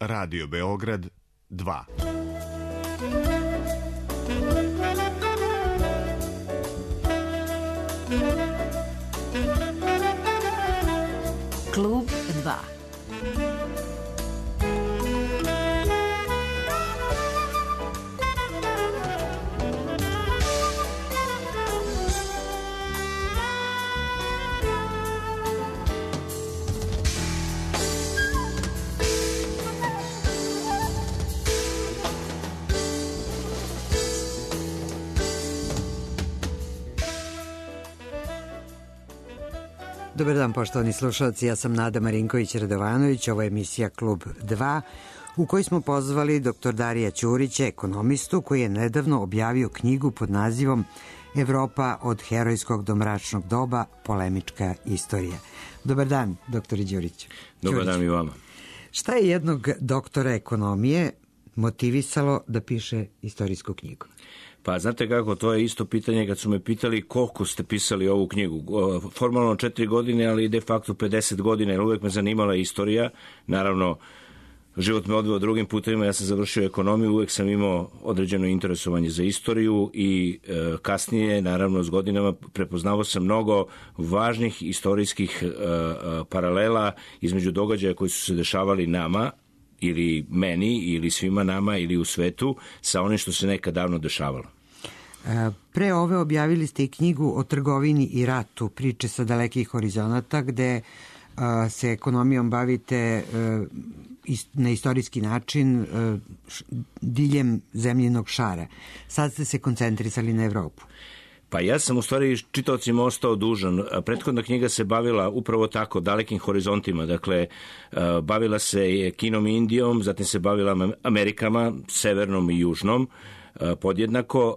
Radio Beograd 2. Klub 2. Dobar dan, poštovani slušalci, ja sam Nada Marinković-Radovanović, ovo je emisija Klub 2, u kojoj smo pozvali dr. Darija Ćurića, ekonomistu, koji je nedavno objavio knjigu pod nazivom Evropa od herojskog do mračnog doba, polemička istorija. Dobar dan, dr. Ćuriću. Dobar dan i vama. Šta je jednog doktora ekonomije motivisalo da piše istorijsku knjigu? Pa znate kako, to je isto pitanje kad su me pitali koliko ste pisali ovu knjigu. Formalno 4 godine, ali de facto 50 godina, jer uvek me zanimala istorija. Naravno, život me odveo drugim putevima, ja sam završio ekonomiju, uvek sam imao određeno interesovanje za istoriju i kasnije, naravno, s godinama prepoznavao sam mnogo važnih istorijskih paralela između događaja koji su se dešavali nama, ili meni, ili svima nama, ili u svetu, sa onim što se nekad davno dešavalo. Pre ove objavili ste i knjigu o trgovini i ratu, priče sa dalekih horizonata, gde se ekonomijom bavite na istorijski način diljem zemljinog šara. Sad ste se koncentrisali na Evropu. Pa ja sam u stvari čitaocima ostao dužan. Prethodna knjiga se bavila upravo tako, dalekim horizontima. Dakle, bavila se Kinom i Indijom, zatim se bavila Amerikama, severnom i južnom, podjednako,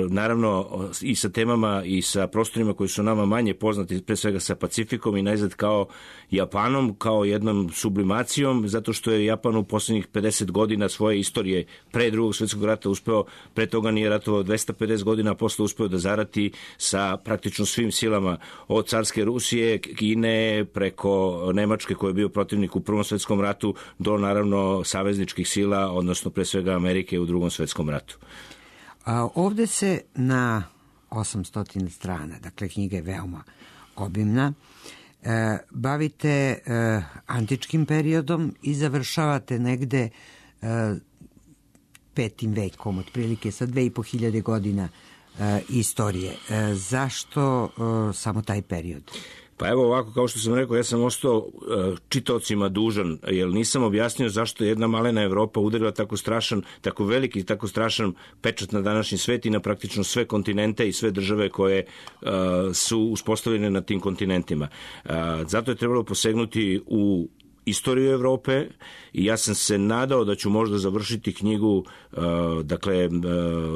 naravno i sa temama i sa prostorima koji su nama manje poznati, pre svega sa Pacifikom i najzad kao Japanom, kao jednom sublimacijom, zato što je Japan u poslednjih 50 godina svoje istorije pre drugog svjetskog rata uspeo, pre toga nije ratovao 250 godina, a posle uspeo da zarati sa praktično svim silama, od carske Rusije, Kine, preko Nemačke koji je bio protivnik u Prvom svjetskom ratu, do naravno savezničkih sila, odnosno pre svega Amerike u Drugom svjetskom ratu. Ovde se na 800 strana, dakle knjiga je veoma obimna, bavite antičkim periodom i završavate negde 5. vekom, otprilike sa 2500 godina istorije. Zašto samo taj period? Pa evo ovako, kao što sam rekao, ja sam ostao čitaocima dužan, jer nisam objasnio zašto je jedna malena Evropa udarila tako strašan, tako veliki, tako strašan pečat na današnji svet i na praktično sve kontinente i sve države koje su uspostavljene na tim kontinentima. Zato je trebalo posegnuti u istoriju Evrope i ja sam se nadao da ću možda završiti knjigu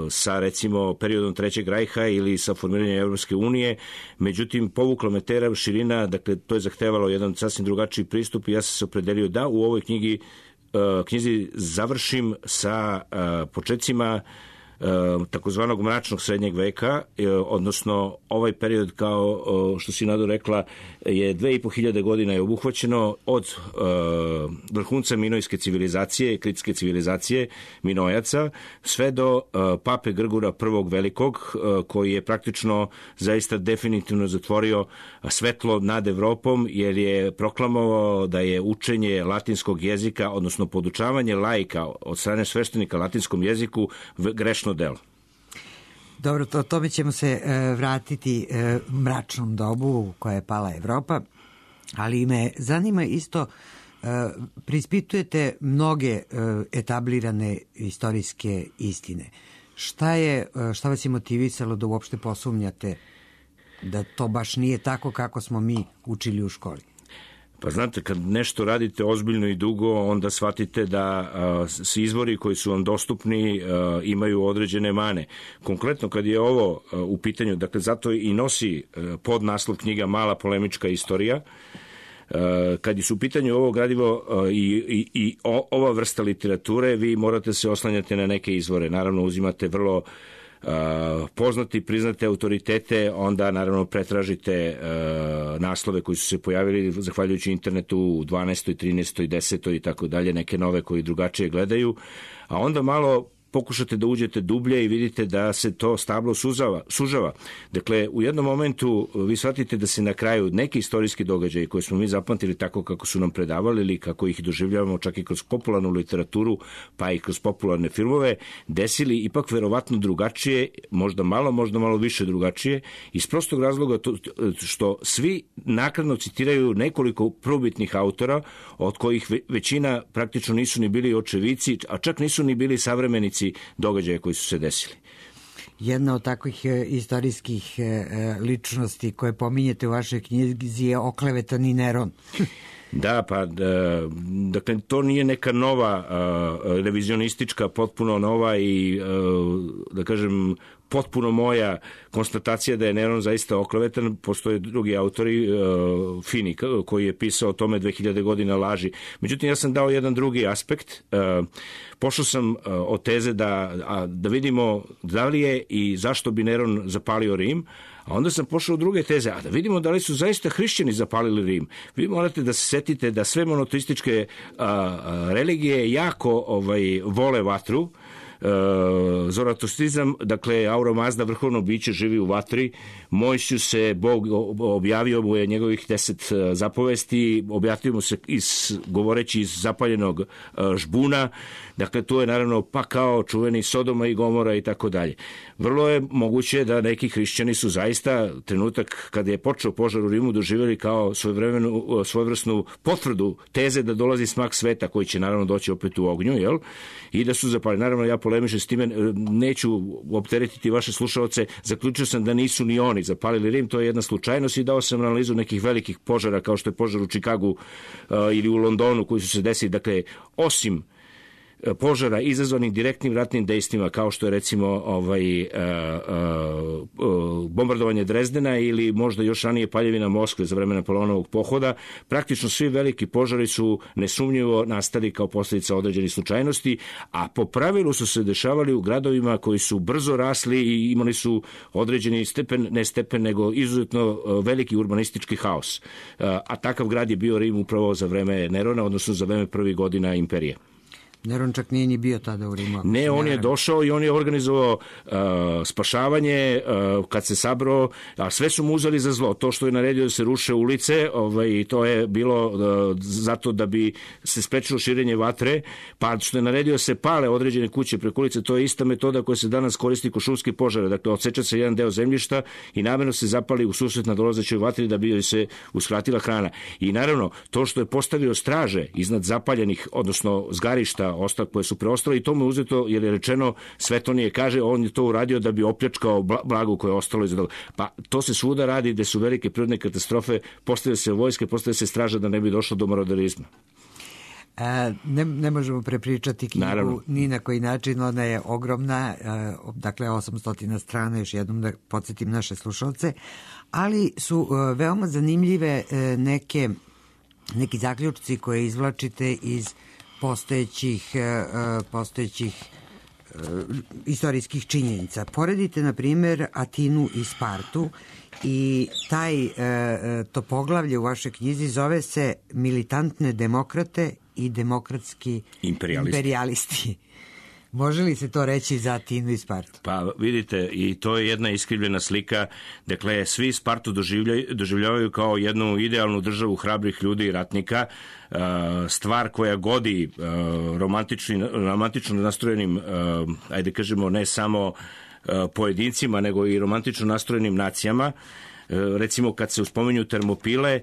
sa recimo periodom Trećeg rajha ili sa formiranjem Evropske unije, međutim povukla me tera širina, dakle to je zahtevalo jedan sasvim drugačiji pristup i ja sam se opredelio da u ovoj knjizi završim sa počecima takozvanog mračnog srednjeg veka, odnosno ovaj period, kao što si Nado rekla, je 2500 godina je obuhvaćeno od vrhunca minojske civilizacije, kritske civilizacije Minojaca, sve do pape Grgura I Velikog, koji je praktično zaista definitivno zatvorio svetlo nad Evropom, jer je proklamovao da je učenje latinskog jezika, odnosno podučavanje laika od strane sveštenika latinskom jeziku grešno delo. Dobro, tome ćemo se vratiti mračnom dobu u kojoj je pala Evropa, ali me zanima isto, preispitujete mnoge etablirane istorijske istine. Šta vas je motivisalo da uopšte posumnjate da to baš nije tako kako smo mi učili u školi? Pa znate, kad nešto radite ozbiljno i dugo, onda shvatite da svi izvori koji su vam dostupni imaju određene mane. Konkretno, kad je ovo u pitanju, dakle, zato i nosi podnaslov knjiga Mala polemička istorija, kad su u pitanju ovo gradivo i ova vrsta literature, vi morate se oslanjati na neke izvore. Naravno, uzimate vrlo poznati, priznate autoritete, onda naravno pretražite naslove koji su se pojavili zahvaljujući internetu u 12. 13. 10. i tako dalje, neke nove koji drugačije gledaju, a onda malo pokušate da uđete dublje i vidite da se to stablo sužava. Dakle, u jednom momentu vi shvatite da se na kraju neki istorijski događaji koje smo mi zapamtili tako kako su nam predavali ili kako ih doživljavamo čak i kroz popularnu literaturu pa i kroz popularne filmove, desili ipak verovatno drugačije, možda malo više drugačije, iz prostog razloga što svi naknadno citiraju nekoliko prvobitnih autora, od kojih većina praktično nisu ni bili očevici, a čak nisu ni bili savremenici događaja koji su se desili. Jedna od takvih istorijskih ličnosti koje pominjete u vašoj knjizi je oklevetani Neron. Da, pa dakle to nije neka nova revizionistička, potpuno nova i da kažem potpuno moja konstatacija da je Neron zaista oklevetan. Postoje drugi autori, Fini, koji je pisao o tome 2000 godina laži. Međutim, ja sam dao jedan drugi aspekt. Pošao sam od teze da vidimo da li je i zašto bi Neron zapalio Rim, a onda sam pošao u druge teze, a da vidimo da li su zaista hrišćani zapalili Rim. Vi morate da se setite da sve monoteističke religije jako vole vatru. Zoratostrizam, dakle Aura Mazda, vrhovno biće, živi u vatri. Mojsiju se Bog objavio mu je njegovih 10 zapovesti, objavio mu se govoreći iz zapaljenog žbuna. Dakle, tu je naravno pa kao čuveni Sodoma i Gomora i tako dalje. Vrlo je moguće da neki hrišćani su zaista trenutak kada je počeo požar u Rimu doživjeli kao svojevrsnu potvrdu teze da dolazi smak sveta koji će naravno doći opet u ognju, jel? I da su zapali. Naravno, ja polemišem s time, neću opteretiti vaše slušaoce, zaključio sam da nisu ni oni zapalili Rim, to je jedna slučajnost i dao sam analizu nekih velikih požara kao što je požar u Čikagu ili u Londonu koji su se desili. Dakle, osim požara izazvanih direktnim ratnim dejstvima kao što je recimo bombardovanje Drezdena ili možda još ranije paljevina Moskve za vreme Napoleonovog pohoda, praktično svi veliki požari su nesumnjivo nastali kao posljedica određenih slučajnosti, a po pravilu su se dešavali u gradovima koji su brzo rasli i imali su određeni stepen, nego izuzetno veliki urbanistički haos. A takav grad je bio Rim upravo za vreme Nerona, odnosno za vreme prvih godina imperije. Neron čak nije ni bio tada u Rimu. Ne, on je došao i on je organizovao spašavanje kad se sabrao, a sve su mu uzeli za zlo. To što je naredio da se ruše ulice, to je bilo zato da bi se sprečilo širenje vatre, pa što je naredio da se pale određene kuće preko ulice, to je ista metoda koja se danas koristi kod šumskih požara. Dakle, odseča se jedan deo zemljišta i namjerno se zapali u susret na dolazećoj vatri da bi se uskratila hrana. I naravno, to što je postavio straže iznad zapaljenih, odnosno zgarišta koje su preostale i to mu je uzeto jer je rečeno, Svetonije kaže, on je to uradio da bi opljačkao blago koje je ostalo iza toga. Pa to se svuda radi gde su velike prirodne katastrofe, postavlja se vojske, postavlja se straža da ne bi došlo do maroderizma. Ne možemo prepričati knjigu ni na koji način, ona je ogromna, dakle 800 strana, još jednom da podsjetim naše slušalce, ali su veoma zanimljive neki zaključci koje izvlačite iz postojećih istorijskih činjenica. Poredite, na primjer, Atinu i Spartu i to poglavlje u vašoj knjizi zove se Militantne demokrate i demokratski imperijalisti. Može li se to reći za Atinu i Spartu? Pa vidite, i to je jedna iskrivljena slika. Dakle, svi Spartu doživljavaju kao jednu idealnu državu hrabrih ljudi i ratnika, stvar koja godi romantično nastrojenim, ajde kažemo, ne samo pojedincima, nego i romantično nastrojenim nacijama. Recimo, kad se uspominju Termopile,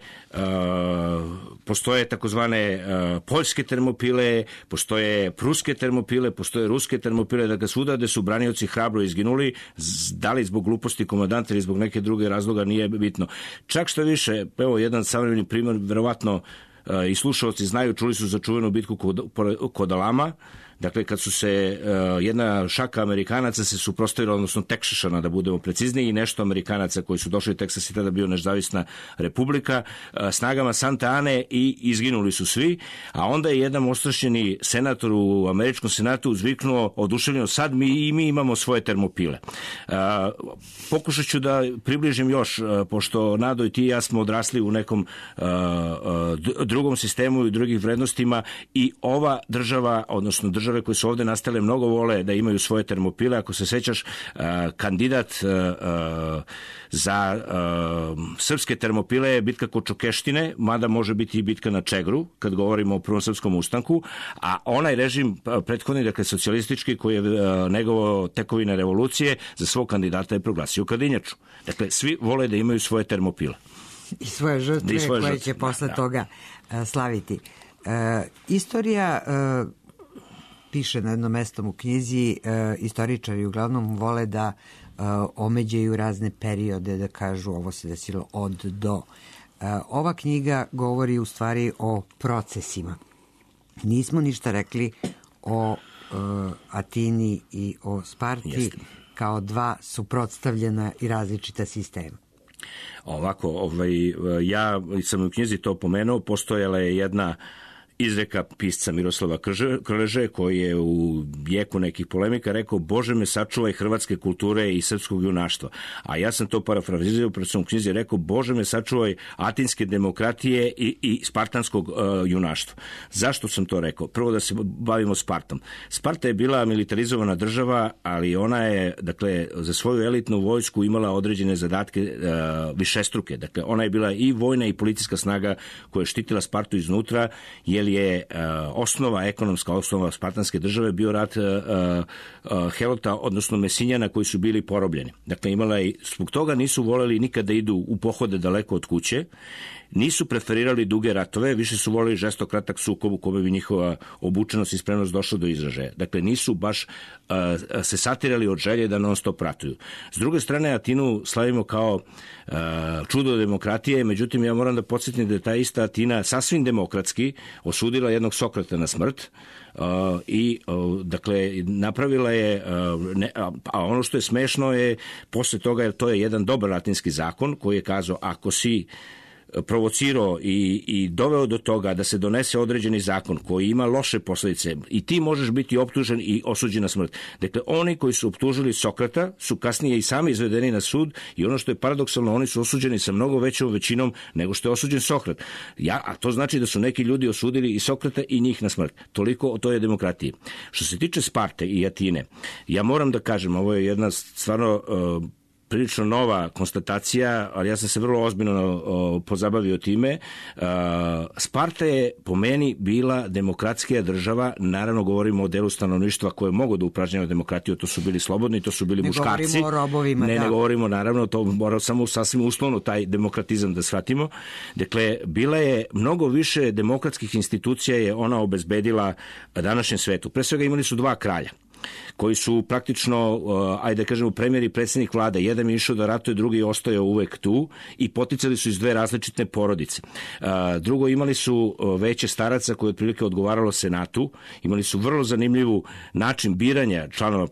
postoje takozvane poljske Termopile, postoje pruske Termopile, postoje ruske Termopile, dakle svuda gde su branioci hrabro izginuli, da li zbog gluposti komandanta ili zbog neke druge razloga, nije bitno. Čak što više, evo jedan savremeni primjer, verovatno i slušalci znaju, čuli su za čuvenu bitku kod Alama, dakle kad su se jedna šaka Amerikanaca se suprotstavila, odnosno Teksašana da budemo precizniji, i nešto Amerikanaca koji su došli u Teksas i tada bio nezavisna republika, snagama Santa Ane, i izginuli su svi, a onda je jedan ostrašćeni senator u američkom senatu uzviknuo oduševljeno, sad mi imamo svoje termopile. Pokušat ću da približim još, pošto Nado i ti i ja smo odrasli u nekom drugom sistemu i drugih vrednostima, i ova država, odnosno države koje su ovde nastale, mnogo vole da imaju svoje termopile. Ako se sećaš, kandidat za srpske termopile je bitka kod Čokeštine, mada može biti i bitka na Čegru, kad govorimo o Prvom srpskom ustanku, a onaj režim prethodni, dakle socijalistički, koji je negovao tekovine revolucije, za svog kandidata je proglasio Kadinjaču. Dakle, svi vole da imaju svoje termopile. I svoje žrtve koje će posle toga slaviti. Istorija, piše na jednom mestom u knjizi, istoričari uglavnom vole da omeđaju razne periode, da kažu ovo se desilo od do. Ova knjiga govori u stvari o procesima. Nismo ništa rekli o Atini i o Sparti kao dva suprotstavljena i različita sistema. Ovako, ja sam u knjizi to pomenuo, postojala je jedna izreka pisca Miroslava Krleže, koji je u jeku nekih polemika rekao: Bože me sačuvaj hrvatske kulture i srpskog junaštva. A ja sam to parafrazirao, pred svom knjizi rekao: Bože me sačuvaj atinske demokratije i spartanskog junaštva. Zašto sam to rekao? Prvo da se bavimo Spartom. Sparta je bila militarizovana država, ali ona je, dakle, za svoju elitnu vojsku imala određene zadatke višestruke. Dakle, ona je bila i vojna i policijska snaga koja je štitila Spartu iznutra, jer je ekonomska osnova spartanske države bio rat Helota, odnosno Mesinjana, koji su bili porobljeni. Dakle, zbog toga nisu voleli nikada da idu u pohode daleko od kuće, nisu preferirali duge ratove, više su voleli žestok kratak sukob u kome bi njihova obučenost i spremnost došla do izražaja. Dakle, nisu baš se satirali od želje da non stop ratuju. S druge strane, Atinu slavimo kao čudo demokratije, međutim, ja moram da podsjetim da je ta ista Atina sasvim demokratski osudila jednog Sokrata na smrt, i dakle napravila je, a ono što je smešno je posle toga, to je jedan dobar latinski zakon koji je kazao: ako si provocirao i doveo do toga da se donese određeni zakon koji ima loše posledice, i ti možeš biti optužen i osuđen na smrt. Dakle, oni koji su optužili Sokrata su kasnije i sami izvedeni na sud, i ono što je paradoksalno, oni su osuđeni sa mnogo većom većinom nego što je osuđen Sokrat. A to znači da su neki ljudi osudili i Sokrata i njih na smrt. Toliko o toj demokratiji. Što se tiče Sparte i Atine, ja moram da kažem, ovo je jedna stvarno prilično nova konstatacija, ali ja sam se vrlo ozbiljno pozabavio time. Sparta je po meni bila demokratskija država, naravno govorimo o delu stanovništva koje mogu da upražnjava demokratiju, to su bili slobodni, to su bili muškarci. Ne govorimo o robovima, ne govorimo, naravno, to mora samo sasvim uslovno taj demokratizam da shvatimo. Dakle, bila je mnogo više demokratskih institucija, je ona obezbedila današnjem svetu. Pre svega imali su dva kralja koji su praktično, ajde da kažemo, premijer i predsjednik vlade. Jedan je išao da ratuje, drugi je ostao uvek tu, i poticali su iz dve različite porodice. Drugo, imali su veće staraca koje otprilike odgovaralo senatu, imali su vrlo zanimljivu način biranja članova,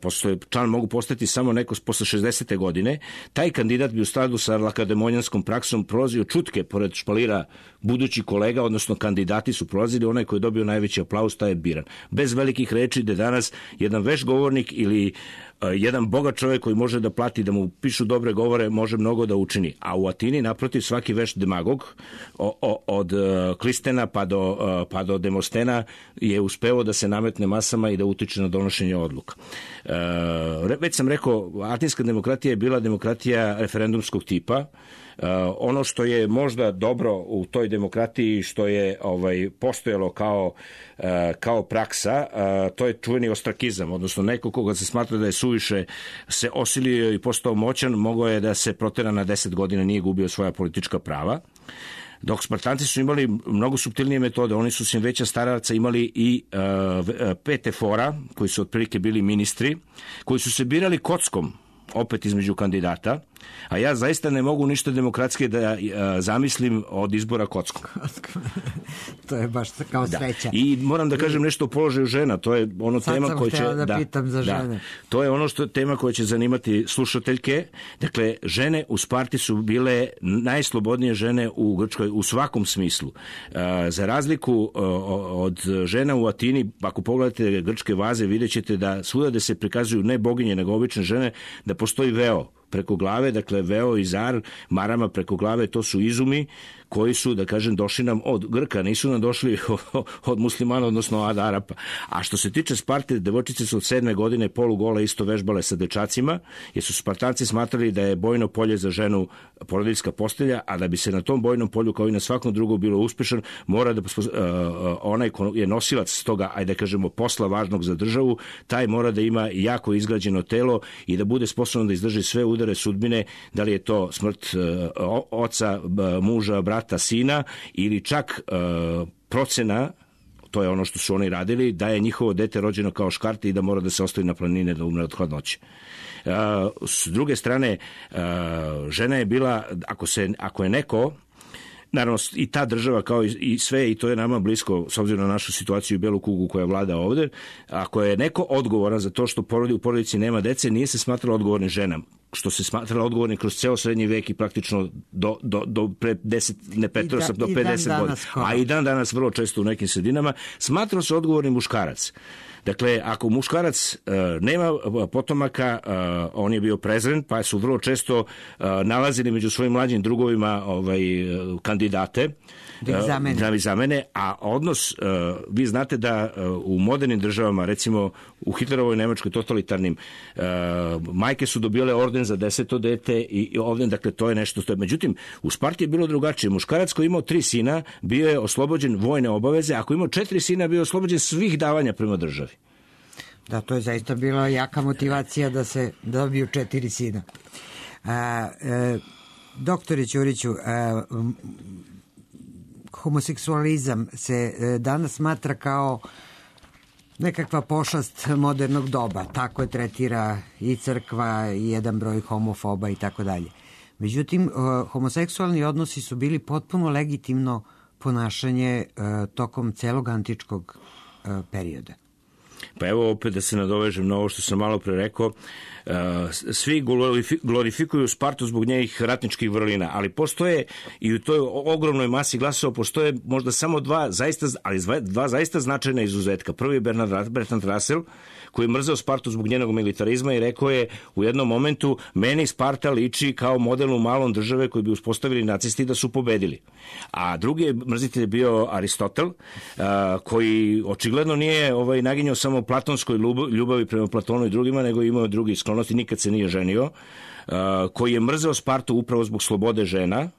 član mogu postati samo neko posle 60. godine. Taj kandidat bi u skladu sa lakademonjanskom praksom prolazio čutke pored špalira budući kolega, odnosno kandidati su prolazili, onaj koji je dobio najveći aplauz, taj je biran. Bez velikih reči, da danas jedan veš govornik ili jedan bogat čovjek koji može da plati da mu pišu dobre govore može mnogo da učini. A u Atini, naprotiv, svaki veš demagog od Klistena pa do Demostena je uspeo da se nametne masama i da utiče na donošenje odluka. Već sam rekao, atinska demokratija je bila demokratija referendumskog tipa. Ono što je možda dobro u toj demokratiji, što je postojalo kao praksa, to je čuveni ostrakizam, odnosno neko koga se smatra da je suviše se osilio i postao moćan, mogao je da se protera na 10 godina, nije gubio svoja politička prava. Dok Spartanci su imali mnogo suptilnije metode, oni su sem veća staraca imali i 5 efora, koji su otprilike bili ministri, koji su se birali kockom, opet između kandidata, A ja zaista ne mogu ništa demokratske da zamislim od izbora kockom. To je baš kao sreća. I moram da kažem nešto o položaju žena. To je ono tema koja će... da pitam za žene. To je ono tema koja će zanimati slušateljke. Dakle, žene u Sparti su bile najslobodnije žene u Grčkoj u svakom smislu. Za razliku od žena u Atini, ako pogledate grčke vaze, vidjet ćete da svuda da se prikazuju ne boginje, nego obične žene, da postoji veo preko glave, dakle veo i zar, marama preko glave, to su izumi koji su, da kažem, došli nam od Grka, nisu nam došli od muslimana, odnosno od Arapa. A što se tiče Sparte, devojčice su od 7. godine polugole isto vežbale sa dečacima, jer su Spartanci smatrali da je bojno polje za ženu porodiljska postelja, a da bi se na tom bojnom polju, kao i na svakom drugom, bilo uspešan, mora da onaj ko je nosilac toga, ajde da kažemo, posla važnog za državu, taj mora da ima jako izgrađeno telo i da bude sposoban da izdrži sve udare sudbine, da li je to smrt oca, muža, brata, sina ili čak procena, to je ono što su oni radili, da je njihovo dete rođeno kao škarte i da mora da se ostavi na planine da umre od hladnoće. S druge strane, žena je bila, ako je neko, naravno i ta država kao i sve, i to je nama blisko s obzirom na našu situaciju i belu kugu koja vlada ovde, ako je neko odgovoran za to što u porodici nema dece, nije se smatralo odgovornim ženama, što se smatralo odgovornim kroz ceo srednji vek i praktično do pre 10, ne 50 do 50 godina, a i dan danas vrlo često u nekim sredinama, smatrao se odgovornim muškarac. Dakle, ako muškarac nema potomaka, on je bio prezren, pa su vrlo često nalazili među svojim mlađim drugovima kandidate da ih zamene, a odnos, vi znate da u modernim državama, recimo u Hitlerovoj Nemačkoj totalitarnim, majke su dobile orden za 10. dete i ovdje, dakle, to je nešto što je. Međutim, u Sparti je bilo drugačije. Muškarac koji imao 3 sina bio je oslobođen vojne obaveze, ako imao 4 sina bio je oslobođen svih davanja prema državi. Da, to je zaista bila jaka motivacija da se dobiju 4 sina. Doktore Ćuriću, homoseksualizam se danas smatra kao nekakva pošast modernog doba. Tako je tretira i crkva i jedan broj homofoba i tako dalje. Međutim, homoseksualni odnosi su bili potpuno legitimno ponašanje tokom celog antičkog perioda. Pa evo opet da se nadovežem na ovo što sam malo pre rekao, svi glorifikuju Spartu zbog njenih ratničkih vrlina, ali postoje i u toj ogromnoj masi glasova postoje možda samo dva zaista značajna izuzetka. Prvi je Bertrand Russell, koji je mrzeo Spartu zbog njenog militarizma i rekao je u jednom momentu, meni Sparta liči kao model u malom države koji bi uspostavili nacisti da su pobedili. A drugi mrzitelj je bio Aristotel, koji očigledno nije naginjao samo platonskoj ljubavi prema Platonu i drugima, nego imao drugi sklonosti, nikad se nije ženio, koji je mrzeo Spartu upravo zbog slobode žena,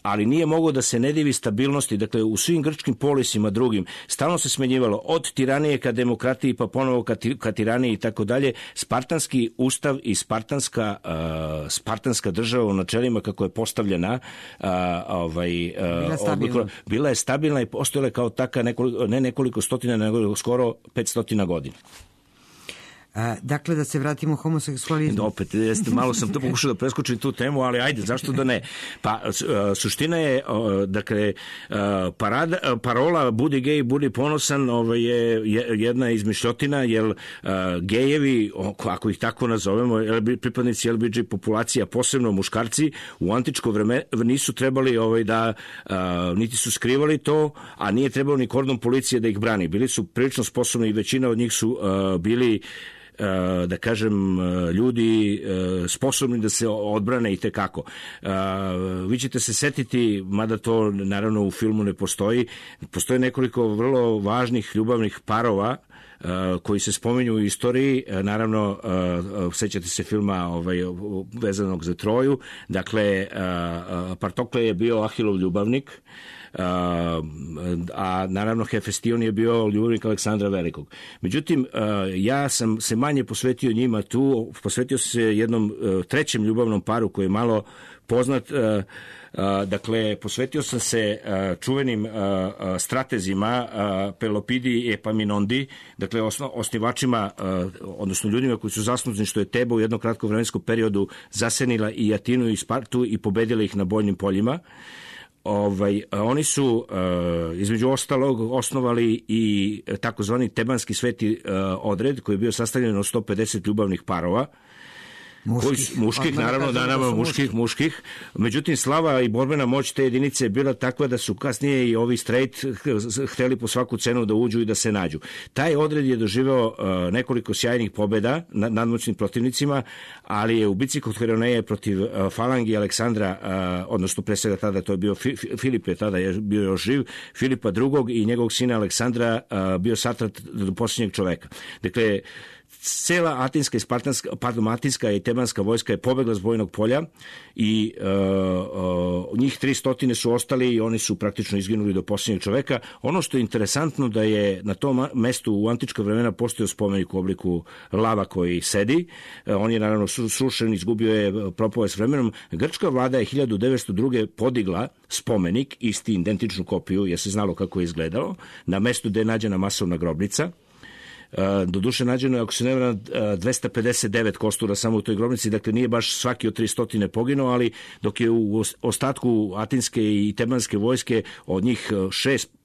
ali nije mogao da se ne divi stabilnosti. Dakle, u svim grčkim polisima drugim stalno se smenjivalo od tiranije ka demokratiji, pa ponovo ka tiraniji i tako dalje. Spartanski ustav i spartanska država u načelima kako je postavljena bila je stabilna i postojala kao taka ne nekoliko stotina, nego skoro 500 godina. Dakle, da se vratimo homoseksualizmu. Opet, malo sam to pokušao da preskočim tu temu, ali ajde, zašto da ne? Pa, suština je, dakle, parola budi gej, budi ponosan je jedna izmišljotina, jer gejevi, ako ih tako nazovemo, pripadnici LBG populacija, posebno muškarci, u antičko vreme nisu trebali niti su skrivali to, a nije trebalo ni kordon policije da ih brani. Bili su prilično sposobni i većina od njih su bili, da kažem, ljudi sposobni da se odbrane i tekako. Vi ćete se setiti, mada to naravno u filmu ne postoji, postoje nekoliko vrlo važnih ljubavnih parova koji se spominju u istoriji, naravno sećate se filma vezanog za Troju, dakle Partokle je bio Ahilov ljubavnik, a naravno Hefestion je bio ljubavnik Aleksandra Velikog. Međutim, ja sam se manje posvetio njima tu, posvetio se jednom trećem ljubavnom paru koji je malo poznat, Dakle, posvetio sam se čuvenim stratezima Pelopidi i Epaminondi, dakle osnivačima, odnosno ljudima koji su zaslužni što je Teba u jednom kratkom vremenskom periodu zasenila i Atinu i Spartu i pobedila ih na bojnim poljima. Oni su između ostalog osnovali i takozvani Tebanski sveti odred koji je bio sastavljen od 150 ljubavnih parova. Muških, naravno, muških. Međutim, slava i borbena moć te jedinice je bila takva da su kasnije i ovi straight hteli po svaku cenu da uđu i da se nađu. Taj odred je doživeo nekoliko sjajnih pobjeda nad nadmoćnim protivnicima, ali je u bici kod Heroneje protiv falangi Aleksandra, odnosno pre svega tada to je bio Filip, je tada je bio još živ, Filipa II. I njegovog sina Aleksandra bio satrat do posljednjeg čoveka. Dakle, cela atinska i tebanska vojska je pobegla s bojnog polja i njih 300 su ostali i oni su praktično izginuli do posljednjeg čoveka. Ono što je interesantno da je na tom mestu u antička vremena postojao spomenik u obliku lava koji sedi. On je naravno srušen, izgubio je, propao je s vremenom. Grčka vlada je 1902. podigla spomenik, isti identičnu kopiju, jer se znalo kako je izgledalo, na mestu gde je nađena masovna grobnica. Doduše nađeno je, ako se ne varam, 259 kostura samo u toj grobnici, dakle nije baš svaki od 300 poginuo, ali dok je u ostatku atinske i tebanske vojske od njih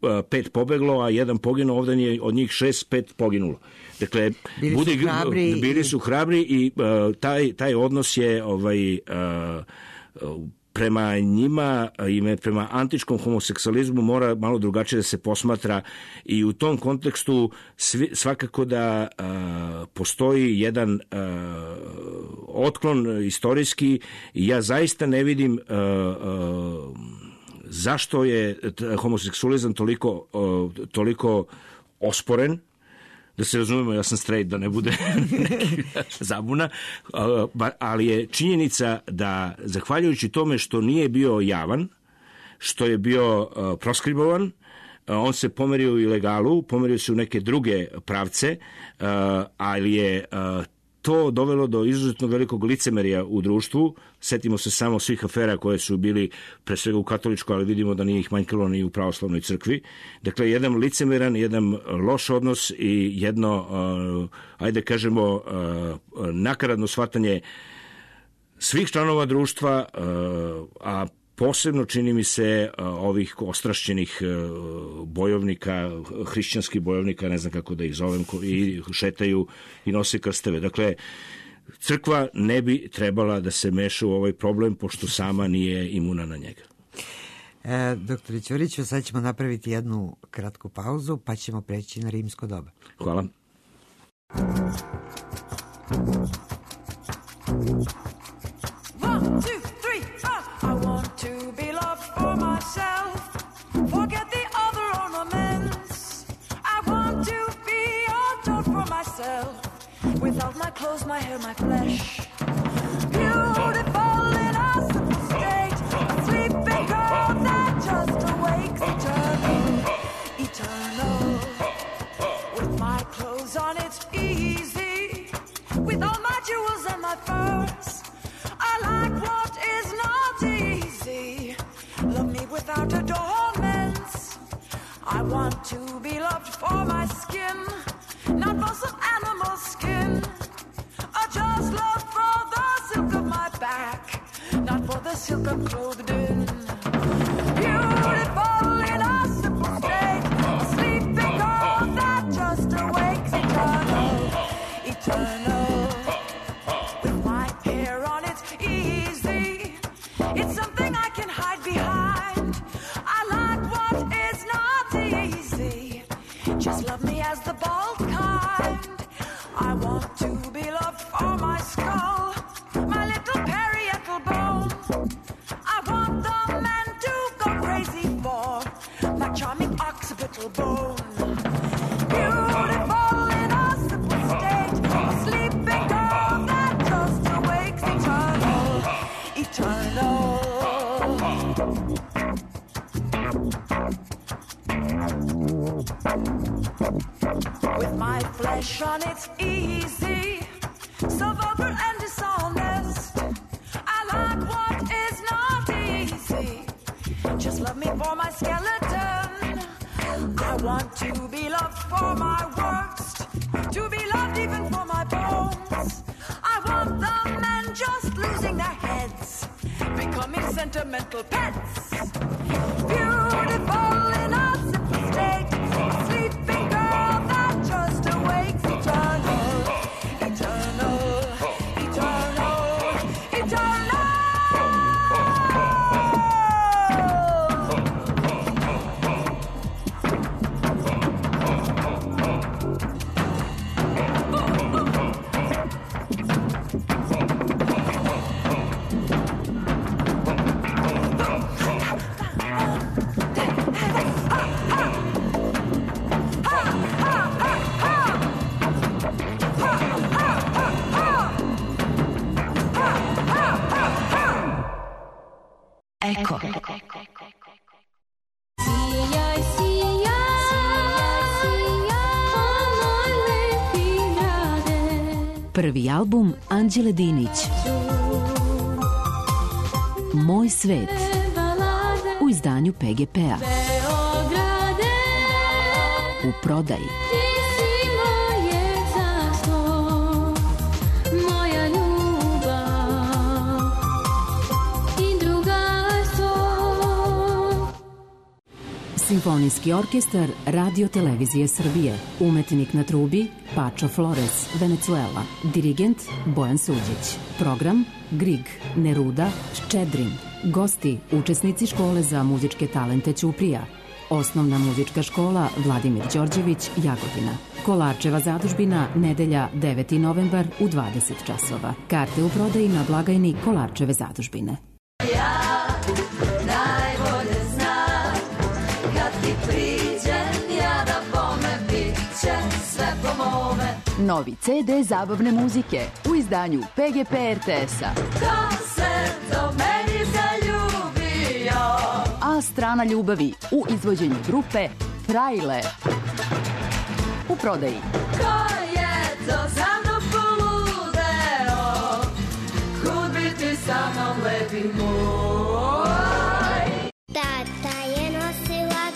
5 pobeglo, a jedan poginuo, ovdje je od njih 5 poginulo. Dakle, bili su hrabri i taj odnos je prema njima i prema antičkom homoseksualizmu mora malo drugačije da se posmatra i u tom kontekstu svakako da postoji jedan otklon istorijski i ja zaista ne vidim zašto je homoseksualizam toliko osporen. Da se razumemo, ja sam straight, da ne bude zabuna, ali je činjenica da, zahvaljujući tome što nije bio javan, što je bio proskribovan, on se pomerio u ilegalu, pomerio se u neke druge pravce, ali je to dovelo do izuzetno velikog licemerja u društvu. Setimo se samo svih afera koje su bili pre svega u katoličkoj, ali vidimo da nije ih manjkalo ni u pravoslavnoj crkvi. Dakle, jedan licemeran, jedan loš odnos i jedno, ajde kažemo, nakaradno shvatanje svih članova društva, a posebno čini mi se ovih ostrašćenih bojovnika, hrišćanskih bojovnika, ne znam kako da ih zovem, i šetaju i nose krsteve. Dakle, crkva ne bi trebala da se meša u ovaj problem, pošto sama nije imuna na njega. Doktore Ćuriću, sad ćemo napraviti jednu kratku pauzu, pa ćemo preći na rimsko doba. Hvala. Forget the other ornaments. I want to be adored for myself. Without my clothes, my hair, my flesh. Beautiful in a simple state. A sleeping girl that just awakes. Eternal. With my clothes on, it's easy. With all my jewels and my furs. I like what is not easy. Love me without adornments. I want to be loved for my skin, not for some animal skin. I just love for the silk of my back, not for the silk I'm clothed in. Beautiful in a simple state, a sleeping girl that just awakes. Eternal, eternal. With my hair on, it's easy. It's something I can hide behind. I like what is not easy. Just love me as the bald kind. I want to be loved for my skull, my little parietal bone. I want the man to go crazy for my charming occipital bone. Beautiful in a simple state, a sleeping girl that just awakes. Eternal, eternal. With my flesh on, it's easy, so vulgar and dishonest. I like what is not easy. want to be loved for my worst, to be loved even for my bones. I want the men just losing their heads, becoming sentimental pets. Beautiful in a simple state, a sleeping girl that just awakes. Eternal, eternal, eternal, eternal. Eko. Sijaj, sijaj, o moj lepi grade. Prvi album Anđele Dinić. Moj svet. U izdanju PGP-a. Beograde, U prodaji. ti si moje carstvo, moja ljubav i drugarstvo. Simfonijski orkestar Radio Televizije Srbije. Umetnik na trubi Pačo Flores, Venezuela. Dirigent Bojan Suđić. Program Grig, Neruda, Ščedrin. Gosti, učesnici škole za muzičke talente Ćuprija. Osnovna muzička škola Vladimir Đorđević, Jagodina. Kolarčeva zadužbina, nedelja 9. novembar u 20 časova. Karte u prodaji na blagajni Kolarčeve zadužbine. Najbolje znam, kad ti priđem, ja da bome bit će sve po mome. Novi CD zabavne muzike u izdanju PGP RTS-a. Ko se do meni zaljubio, A strana ljubavi u izvođenju grupe Trailer. U prodaji. ko je to za mnom poludeo, kud bi ti sa mnom lepi moj. Tata je nosilac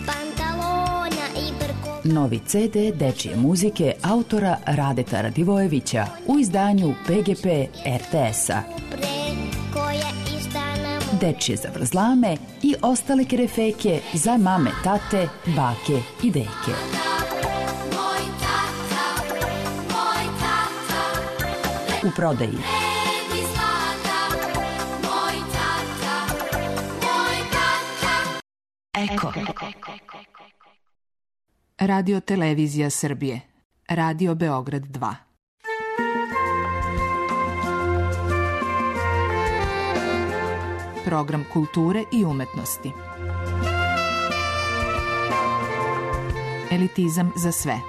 pantalona i brko. Novi CD dečije muzike autora Radeta Radivojevića u izdanju PGP RTS-a. Pre koje istana mu. Dečije zavrzlame i ostale kerefeke za mame, tate, bake i deke. Moj tata, U prodaji. neki zlata, moj tata, moj tata. Eko. Radio Televizija Srbije. Radio Beograd 2. Program kulture i umetnosti. Elitizam za sve.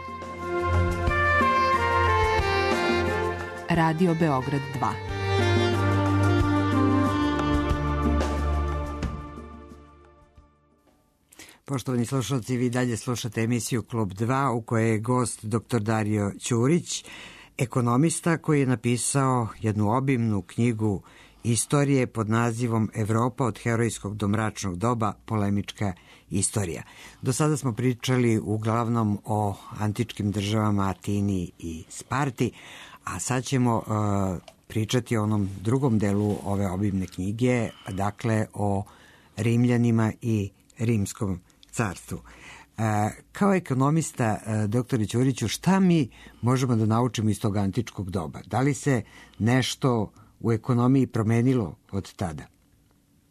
Radio Beograd 2. Poštovani slušalci, vi dalje slušate emisiju Klub 2 u kojoj je gost dr. Dario Ćurić, ekonomista koji je napisao jednu obimnu knjigu istorije pod nazivom Evropa od herojskog do mračnog doba, polemička istorija. Do sada smo pričali uglavnom o antičkim državama Atini i Sparti, a sad ćemo pričati o onom drugom delu ove obimne knjige, dakle o Rimljanima i Rimskom carstvu. Kao ekonomista, doktore Ćuriću, šta mi možemo da naučimo iz tog antičkog doba? Da li se nešto u ekonomiji promenilo od tada?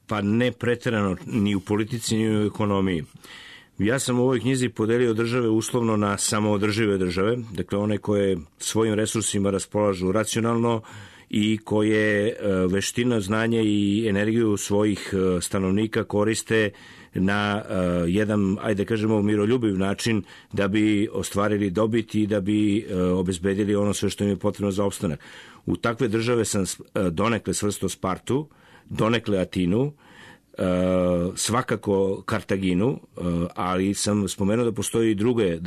Pa ne preterano ni u politici ni u ekonomiji. Ja sam u ovoj knjizi podelio države uslovno na samoodržive države, dakle one koje svojim resursima raspolažu racionalno i koje veština, znanje i energiju svojih stanovnika koriste na jedan, ajde kažemo, miroljubiv način da bi ostvarili dobit i da bi obezbedili ono sve što im je potrebno za opstanak. U takve države sam donekle svrstao Spartu, donekle Atinu, svakako Kartaginu, ali sam spomenuo da postoji i druge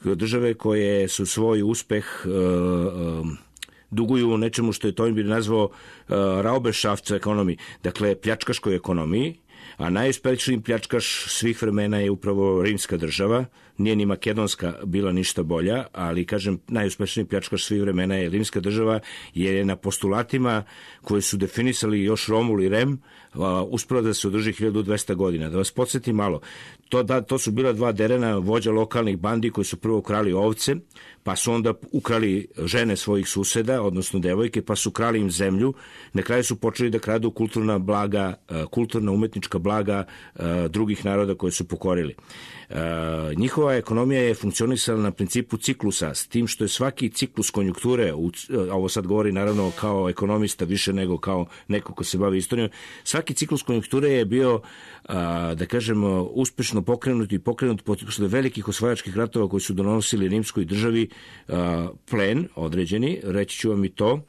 države koje su svoj uspeh duguju nečemu što je Toynbee nazvao Raubeschaftsekonomiji, dakle pljačkaškoj ekonomiji, a najuspešniji pljačkaš svih vremena je upravo rimska država. Nije ni makedonska bila ništa bolja, ali kažem najuspešniji pljačkaš svih vremena je rimska država, jer je na postulatima koje su definisali još Romul i Rem uspela da se održi 1200 godina. Da vas podsjetim malo, to su bila dva derena vođa lokalnih bandi koji su prvo krali ovce, pa su onda ukrali žene svojih suseda, odnosno devojke, pa su krali im zemlju. Na kraju su počeli da kradu kulturna blaga, kulturna umetnička blaga drugih naroda koje su pokorili. Njihova ekonomija je funkcionisala na principu ciklusa, s tim što je svaki ciklus konjunkture, ovo sad govori naravno kao ekonomista više nego kao neko ko se bavi istorijom, svaki ciklus konjunkture je bio, da kažemo, uspešno pokrenut posle velikih osvajačkih ratova koji su donosili rimskoj državi plen određeni, reći ću vam i to.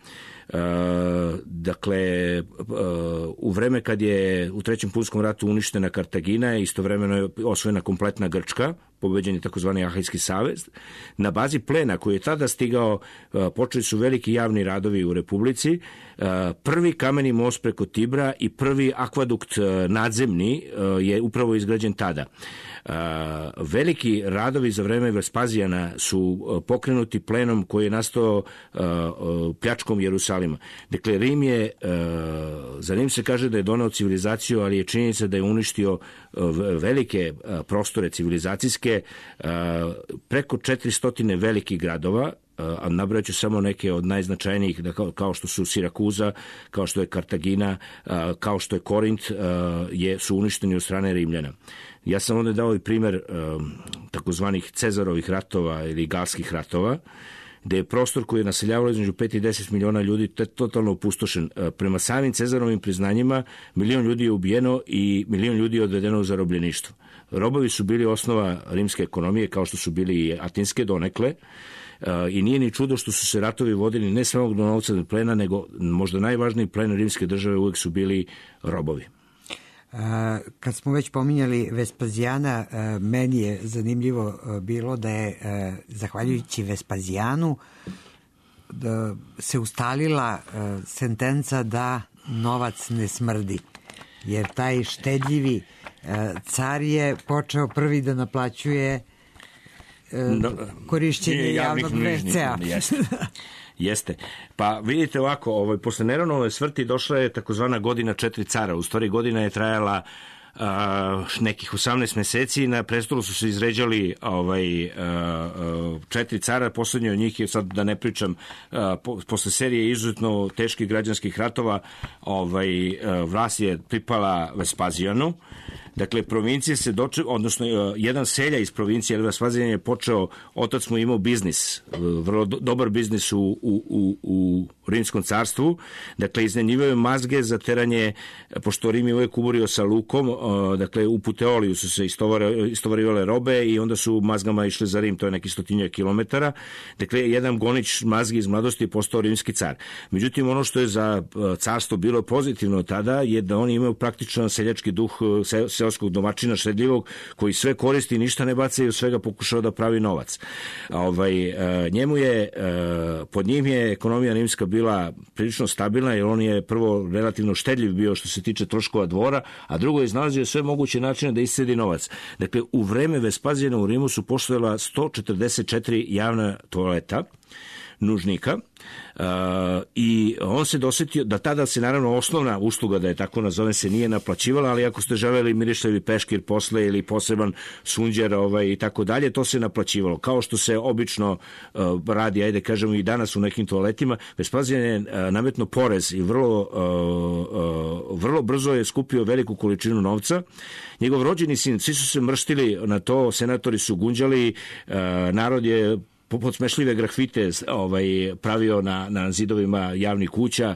Dakle, u vreme kad je u Trećem punskom ratu uništena Kartagina, istovremeno je osvojena kompletna Grčka, pobeđen je takozvani Ahajski savez. Na bazi plena koji je tada stigao, počeli su veliki javni radovi u Republici. Prvi kameni most preko Tibra i prvi akvadukt nadzemni je upravo izgrađen tada. Veliki radovi za vreme Vespazijana su pokrenuti plenom koji je nastao pljačkom Jerusalima. Dakle, Rim je, za Rim se kaže da je doneo civilizaciju, ali je činjenica da je uništio velike prostore civilizacijske, preko 400 velikih gradova, a nabraću samo neke od najznačajnijih, kao što su Sirakuza, kao što je Kartagina, kao što je Korint, su uništeni od strane Rimljana. Ja sam onda dao i primer takozvanih Cezarovih ratova ili Galskih ratova, gde je prostor koji je naseljavalo između 5 i 10 miliona ljudi totalno opustošen. Prema samim Cezarovim priznanjima, 1 milion ljudi je ubijeno i 1 milion ljudi je odvedeno u zarobljeništvo. Robovi su bili osnova rimske ekonomije, kao što su bili i atinske donekle, i nije ni čudo što su se ratovi vodili ne samo do novca plena, nego možda najvažniji plen rimske države uvek su bili robovi. Kad smo već pominjali Vespazijana, meni je zanimljivo bilo da je, zahvaljujući Vespazijanu, da se ustalila sentenca da novac ne smrdi. Jer taj štedljivi car je počeo prvi da naplaćuje korišćenje javnog WC-a. Jeste. Pa vidite ovako, posle Neronove smrti došla je takozvana godina 4 cara. U stvari godina je trajala nekih 18 meseci. Na prestolu su se izređali 4 cara. Poslednji od njih je, sad da ne pričam, posle serije izuzetno teških građanskih ratova, vlast je pripala Vespazijanu. Dakle, provincije se odnosno jedan selja iz provincije, jer Vespazijan je počeo, otac mu imao biznis, vrlo dobar biznis u Rimskom carstvu. Dakle, iznajmljivaju mazge za teranje, pošto Rim je uvek uborio sa lukom, dakle, u Puteoliju su se istovarivale robe i onda su mazgama išli za Rim, to je neki 100 kilometara. Dakle, jedan gonič mazgi iz mladosti je postao rimski car. Međutim, ono što je za carstvo bilo pozitivno tada je da oni imaju praktično seljački duh seoskog domaćina štedljivog, koji sve koristi, ništa ne baca i od svega pokušao da pravi novac. Pod njim je ekonomija rimska bila prilično stabilna, jer on je prvo relativno štedljiv bio što se tiče troškova dvora, a drugo je iznalazio sve moguće načine da iscedi novac. Dakle, u vreme Vespazijana u Rimu su postojala 144 javna toaleta, nužnika, i on se dosetio da tada se naravno osnovna usluga, da je tako nazovem, se nije naplaćivala, ali ako ste želeli mirišljavi peškir posle ili poseban sunđer i tako dalje, to se naplaćivalo. Kao što se obično radi, ajde kažemo i danas u nekim toaletima, Vespazijan je nametno porez i vrlo brzo je skupio veliku količinu novca. Njegov rođeni sin, svi su se mrštili na to, senatori su gunđali, narod je podsmešljive grafite pravio na zidovima javnih kuća,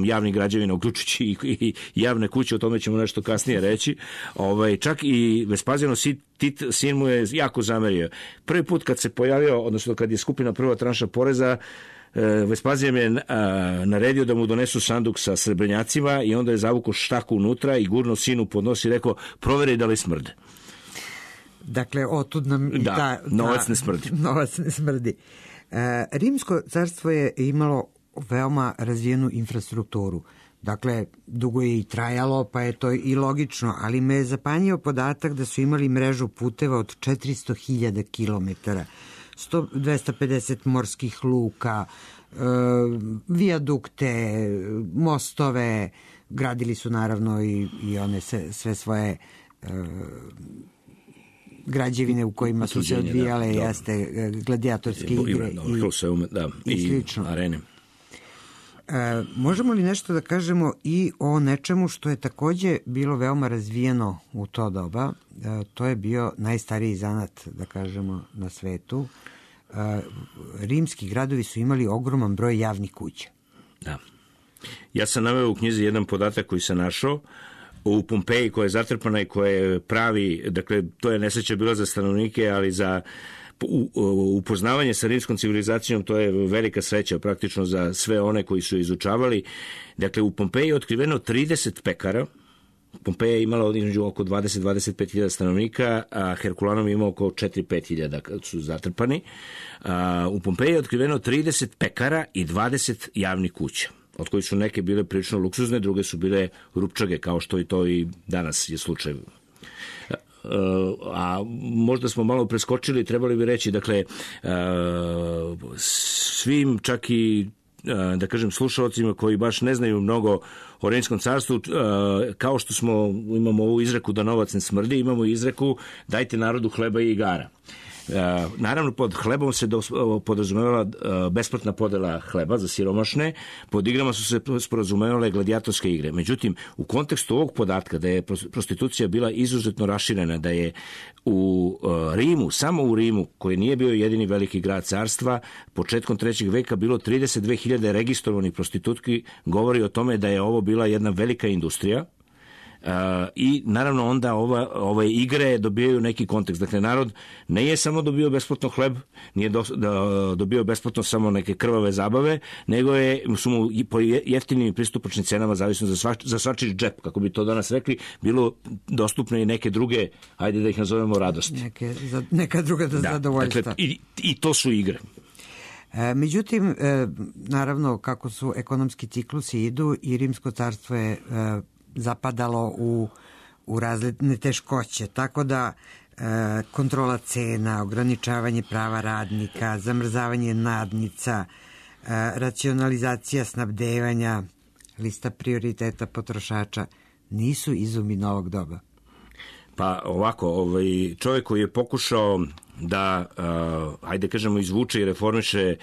javnih građevina, uključujući i javne kuće, o tome ćemo nešto kasnije reći. Čak i Vespazijano sin mu je jako zamerio. Prvi put kad se pojavio, odnosno kad je skupina prva tranša poreza, Vespazijan je naredio da mu donesu sanduk sa srebrnjacima i onda je zavukao štaku unutra i gurno sinu pod nos i rekao, proveri da li smrde. Dakle, otud nam i novac ne smrdi. Novac ne smrdi. Rimsko carstvo je imalo veoma razvijenu infrastrukturu. Dakle, dugo je i trajalo, pa je to i logično, ali me je zapanjio podatak da su imali mrežu puteva od 400.000 kilometara, 250 morskih luka, vijadukte, mostove, gradili su naravno i one sve svoje građevine u kojima su se odvijale jeste gladijatorske igre i slično. Arene. Možemo li nešto da kažemo i o nečemu što je takođe bilo veoma razvijeno u to doba? To je bio najstariji zanat, da kažemo, na svetu. Rimski gradovi su imali ogroman broj javnih kuća. Da. Ja sam naveo u knjizi jedan podatak koji sam našao u Pompeji, koja je zatrpana i koja je pravi, dakle, to je nesreća bila za stanovnike, ali za upoznavanje sa rimskom civilizacijom to je velika sreća praktično za sve one koji su izučavali. Dakle, u Pompeji je otkriveno 30 pekara. Pompeja je imala između oko 20-25.000 stanovnika, a Herkulanom je imao oko 4-5.000 kad su zatrpani. U Pompeji je otkriveno 30 pekara i 20 javnih kuća, od kojih su neke bile prilično luksuzne, druge su bile rupčage, kao što i to i danas je slučaj. A možda smo malo preskočili, trebali bi reći, dakle, svim čak i da kažem slušalcima koji baš ne znaju mnogo o Rimskom carstvu, kao što imamo ovu izreku da novac ne smrdi, imamo izreku dajte narodu hleba i igara. Naravno, pod hlebom se podrazumevala besplatna podela hleba za siromašne, pod igrama su se sporazumevale gladijatorske igre. Međutim, u kontekstu ovog podatka da je prostitucija bila izuzetno raširena, da je u Rimu, samo u Rimu, koji nije bio jedini veliki grad carstva, početkom 3. veka bilo 32.000 registrovanih prostitutki, govori o tome da je ovo bila jedna velika industrija. I naravno onda ove igre dobijaju neki kontekst. Dakle, narod ne je samo dobio besplatno hleb, nije dobio besplatno samo neke krvave zabave, nego su mu po jeftinim i pristupačnim cenama, zavisno za svačiji džep, kako bi to danas rekli, bilo dostupne i neke druge, ajde da ih nazovemo radosti. Neka druga zadovoljstva. Dakle, i to su igre. Međutim, naravno, kako su ekonomski ciklusi idu i Rimsko carstvo je zapadalo u različne teškoće, tako da kontrola cena, ograničavanje prava radnika, zamrzavanje nadnica, racionalizacija snabdevanja, lista prioriteta potrošača nisu izumi novog doba. Pa ovako, čovjek koji je pokušao da, ajde kažemo, izvuče i reformiše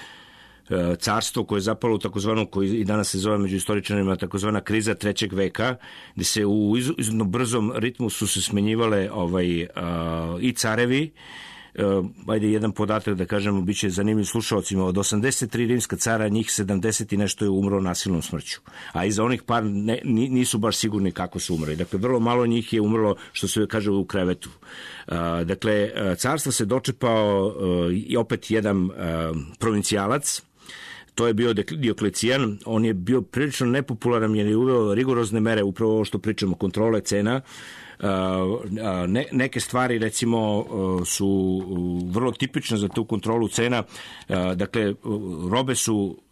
carstvo koje je zapalo u takozvanu, koji i danas se zove među istoričarima takozvana kriza 3. veka, gde se u izuzetno brzom ritmu su se smenjivale i carevi. Ajde jedan podatak da kažemo, bit će zanimljiv slušalcima, od 83 rimska cara, njih 70 i nešto je umro nasilnom smrću. A iza onih par nisu baš sigurni kako su umrli. Dakle, vrlo malo njih je umrlo, što se kaže, u krevetu. Dakle, carstvo se dočepao i opet jedan provincijalac. To je bio Dioklecijan. On je bio prilično nepopularan jer je uveo rigorozne mere, upravo ovo što pričamo, kontrole cena. Neke stvari, recimo, su vrlo tipične za tu kontrolu cena. Dakle,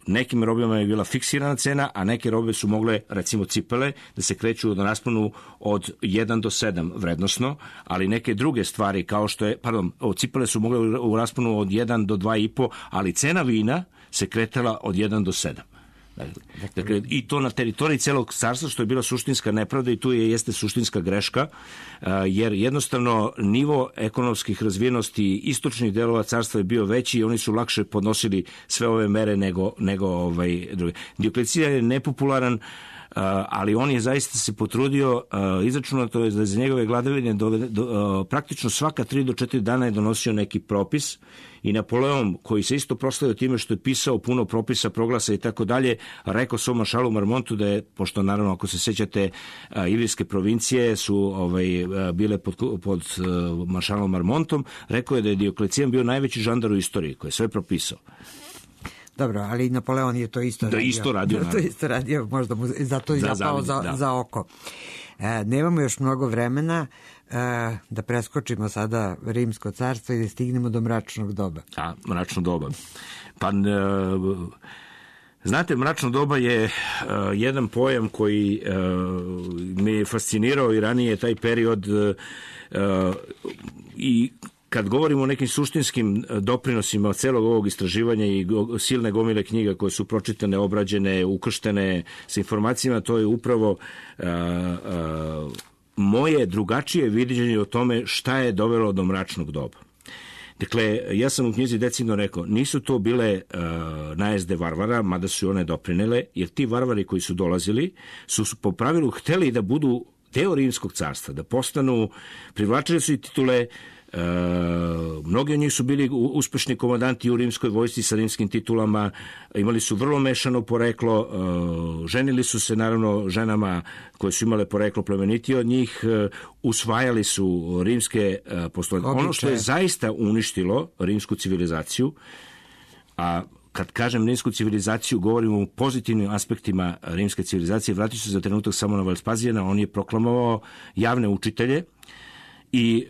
nekim robama je bila fiksirana cena, a neke robe su mogle, recimo cipele, da se kreću na rasponu od 1 do 7 vrednosno, ali neke druge stvari, kao što je, cipele su mogle u rasponu od 1 do 2,5, ali cena vina se kretala od 1 do 7. Dakle, i to na teritoriji celog carstva, što je bila suštinska nepravda i tu jeste suštinska greška, jer jednostavno nivo ekonomskih razvijenosti istočnih delova carstva je bio veći i oni su lakše podnosili sve ove mere nego druge. Dioklecijan je nepopularan, ali on je zaista se potrudio, izračunato je da za njegove vladavine praktično svaka 3 do 4 dana je donosio neki propis i Napoleon, koji se isto proslavio time što je pisao puno propisa, proglasa i tako dalje, rekao svom maršalu Marmontu da je, pošto naravno ako se sećate ilirske provincije su bile pod maršalom Marmontom, rekao je da je Dioklecijan bio najveći žandar u istoriji koji je sve propisao. Dobro, ali Napoleon je to isto radio. To isto radio, možda mu zato i zapao za oko. Nemamo još mnogo vremena da preskočimo sada Rimsko carstvo i da stignemo do mračnog doba. Mračno doba. Pa Znate, mračno doba je jedan pojam koji me je fascinirao i ranije taj period i kad govorimo o nekim suštinskim doprinosima celog ovog istraživanja i silne gomile knjiga koje su pročitane, obrađene, ukrštene sa informacijama, to je upravo moje drugačije viđenje o tome šta je dovelo do mračnog doba. Dakle, ja sam u knjizi decidno rekao, nisu to bile najezde varvara, mada su one doprinele, jer ti varvari koji su dolazili su po pravilu hteli da budu deo Rimskog carstva, da postanu, privlačili su i titule. Mnogi od njih su bili uspešni komandanti u rimskoj vojsci sa rimskim titulama, imali su vrlo mešano poreklo, ženili su se naravno ženama koje su imale poreklo plemenitije od njih, usvajali su rimske postulate. Ono što je zaista uništilo rimsku civilizaciju, a kad kažem rimsku civilizaciju, govorimo o pozitivnim aspektima rimske civilizacije, vratit ću se za trenutak samo na Vespazijana, on je proklamovao javne učitelje, i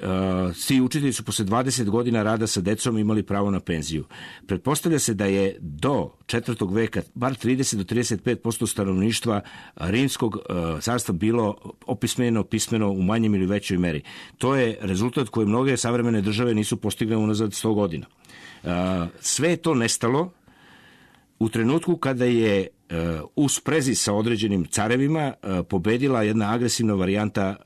svi učitelji su posle 20 godina rada sa decom imali pravo na penziju. Pretpostavlja se da je do 4. veka bar 30 do 35% stanovništva rimskog carstva bilo opismeno, pismeno u manjem ili većoj meri. To je rezultat koji mnoge savremene države nisu postigle unazad 100 godina. Sve je to nestalo u trenutku kada je u sprezi sa određenim carevima pobedila jedna agresivna varijanta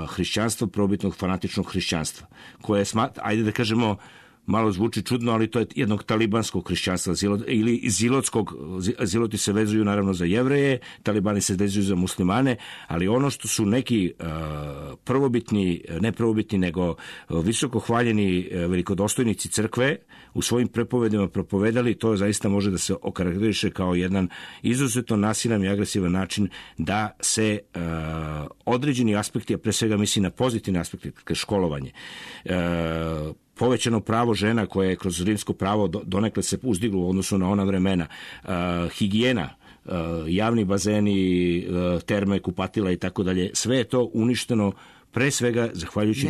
hrišćanstva, prvobitnog fanatičnog hrišćanstva, koje je, ajde da kažemo, malo zvuči čudno, ali to je jednog talibanskog hrišćanstva ili zilotskog. Ziloti se vezuju naravno za Jevreje, talibani se vezuju za muslimane, ali ono što su neki prvobitni, ne prvobitni, nego visoko hvaljeni velikodostojnici crkve u svojim prepovedima propovedali, to zaista može da se okarakteriše kao jedan izuzetno nasilan i agresivan način da se određeni aspekti, a pre svega misli na pozitivne aspekte, školovanje, povećano pravo žena koje je kroz rimsko pravo donekle se uzdiglo u odnosu na ona vremena, higijena, javni bazeni, terme, kupatila i tako dalje, sve je to uništeno pre svega zahvaljujući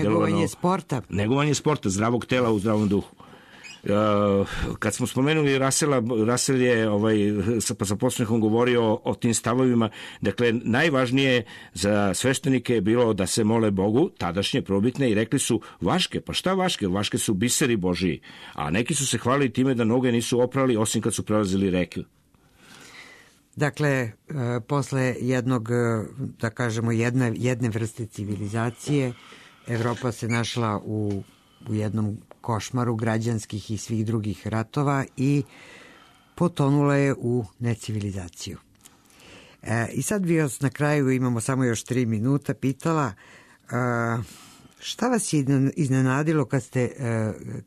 negovanje sporta, zdravog tela u zdravom duhu. Kad smo spomenuli Rasel je sa podsmehom govorio o tim stavovima. Dakle, najvažnije za sveštenike je bilo da se mole Bogu, tadašnje probitne, i rekli su vaške. Pa šta vaške? Vaške su biseri Božiji. A neki su se hvalili time da noge nisu oprali osim kad su prelazili reku. Dakle, posle jednog, da kažemo, jedne vrste civilizacije, Evropa se našla u jednom košmaru građanskih i svih drugih ratova i potonula je u necivilizaciju. I sad bi vas na kraju, imamo samo još 3 minuta, pitala šta vas je iznenadilo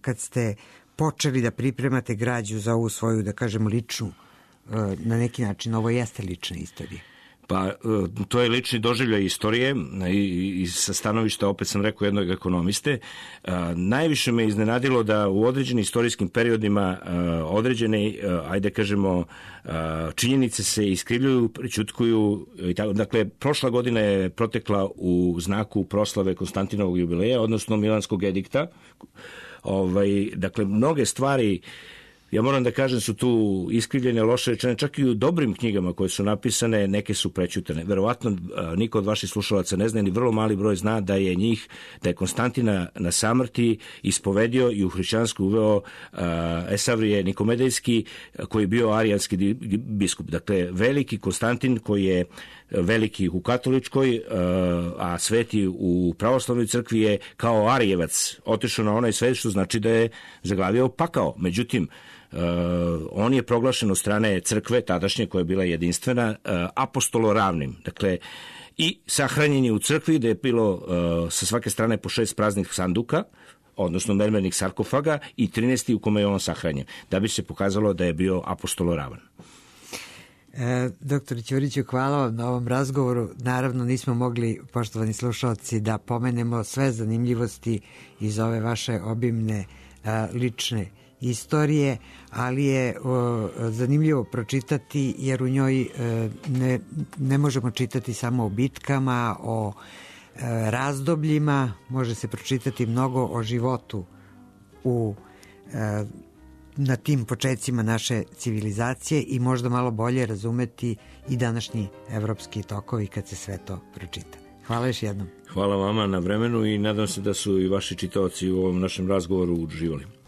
kad ste počeli da pripremate građu za ovu svoju, da kažem, ličnu, na neki način, ovo jeste lična istorija. Pa, to je lični doživljaj istorije i sa stanovišta, opet sam rekao, jednog ekonomiste. Najviše me iznenadilo da u određenim istorijskim periodima određene, ajde kažemo, činjenice se iskrivljuju, prećutkuju. Dakle, prošla godina je protekla u znaku proslave Konstantinovog jubileja, odnosno Milanskog edikta. Dakle, mnoge stvari, ja moram da kažem, su tu iskrivljene, loše rečene, čak i u dobrim knjigama koje su napisane, neke su prećutane. Verovatno niko od vaših slušalaca ne zna, ni vrlo mali broj zna da je Konstantina na samrti ispovedio i u hrišćansku uveo Esavrije Nikomedejski, koji je bio arijanski biskup. Dakle, veliki Konstantin koji je veliki u katoličkoj, a sveti u pravoslavnoj crkvi je kao Arijevac otišao na onaj svet, što znači da je zaglavio pakao. Međutim, on je proglašen od strane crkve tadašnje, koja je bila jedinstvena, apostoloravnim. Dakle, i sahranjen je u crkvi, da je bilo sa svake strane po 6 praznih sanduka, odnosno mermernih sarkofaga, i 13. u kome je on sahranjen, da bi se pokazalo da je bio apostoloravan. Doktor Ćuriću, hvala vam na ovom razgovoru. Naravno, nismo mogli, poštovani slušalci, da pomenemo sve zanimljivosti iz ove vaše obimne lične istorije, ali je zanimljivo pročitati, jer u njoj ne možemo čitati samo o bitkama, o razdobljima, može se pročitati mnogo o životu u na tim početcima naše civilizacije i možda malo bolje razumeti i današnji evropski tokovi kad se sve to pročita. Hvala još jednom. Hvala vama na vremenu i nadam se da su i vaši čitaoci u ovom našem razgovoru uživali.